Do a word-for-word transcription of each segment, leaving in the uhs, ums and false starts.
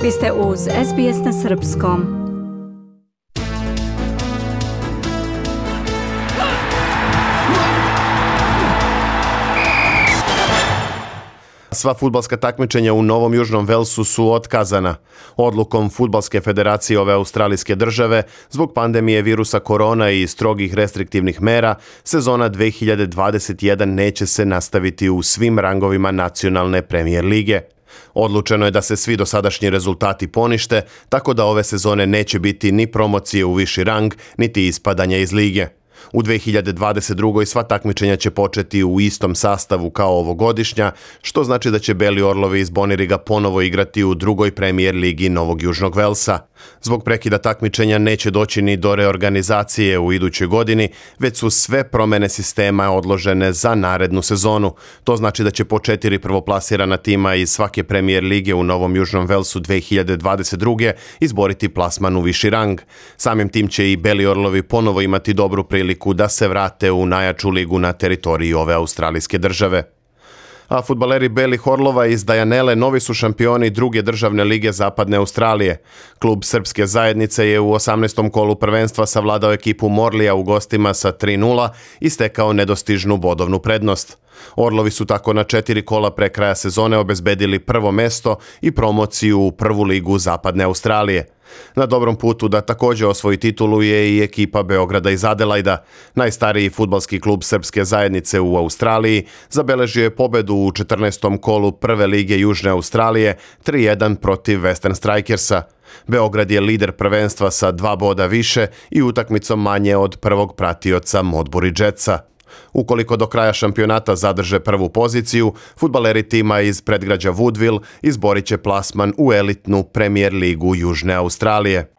Vi ste uz S B S na srpskom. Sva fudbalska takmičenja u Novom Južnom Velsu su otkazana. Odlukom Fudbalske federacije ove australijske države, zbog pandemije virusa korona i strogih restriktivnih mera, sezona dve hiljade dvadeset jedan neće se nastaviti u svim rangovima nacionalne premijer lige. Odlučeno je da se svi dosadašnji rezultati ponište, tako da ove sezone neće biti ni promocije u viši rang, niti ispadanja iz lige. U dve hiljade dvadeset drugoj sva takmičenja će početi u istom sastavu kao ovogodišnja, što znači da će Beli orlovi iz Boniriga ponovo igrati u drugoj premijer ligi Novog Južnog Velsa. Zbog prekida takmičenja neće doći ni do reorganizacije u idućoj godini, već su sve promjene sistema odložene za narednu sezonu. To znači da će po četiri prvoplasirana tima iz svake premijer lige u Novom Južnom Velsu dve hiljade dvadeset druge izboriti plasman u viši rang. Samim tim će i Beli orlovi ponovo imati dobru priliku da se vrate u najjaču ligu na teritoriji ove australijske države. A fudbaleri Belih orlova iz Dajanele novi su šampioni druge državne lige Zapadne Australije. Klub Srpske zajednice je u osamnaestom kolu prvenstva savladao ekipu Morlija u gostima sa tri nula i stekao nedostižnu bodovnu prednost. Orlovi su tako na četiri kola pre kraja sezone obezbedili prvo mesto i promociju u prvu ligu Zapadne Australije. Na dobrom putu da također osvoji titulu je i ekipa Beograda iz Adelajda. Najstariji fudbalski klub Srpske zajednice u Australiji zabeležio je pobedu u četrnaestom kolu prve lige Južne Australije tri jedan protiv Western Strikersa. Beograd je lider prvenstva sa dva boda više i utakmicom manje od prvog pratioca Modbury Jetsa. Ukoliko do kraja šampionata zadrže prvu poziciju, fudbaleri tima iz predgrađa Woodville izborit će plasman u elitnu premijer ligu Južne Australije.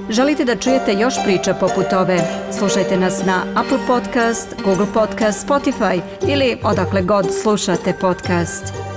Želite da čujete još priča poput ove? Slušajte nas na Apple Podcast, Google Podcast, Spotify ili odakle god slušate podcast.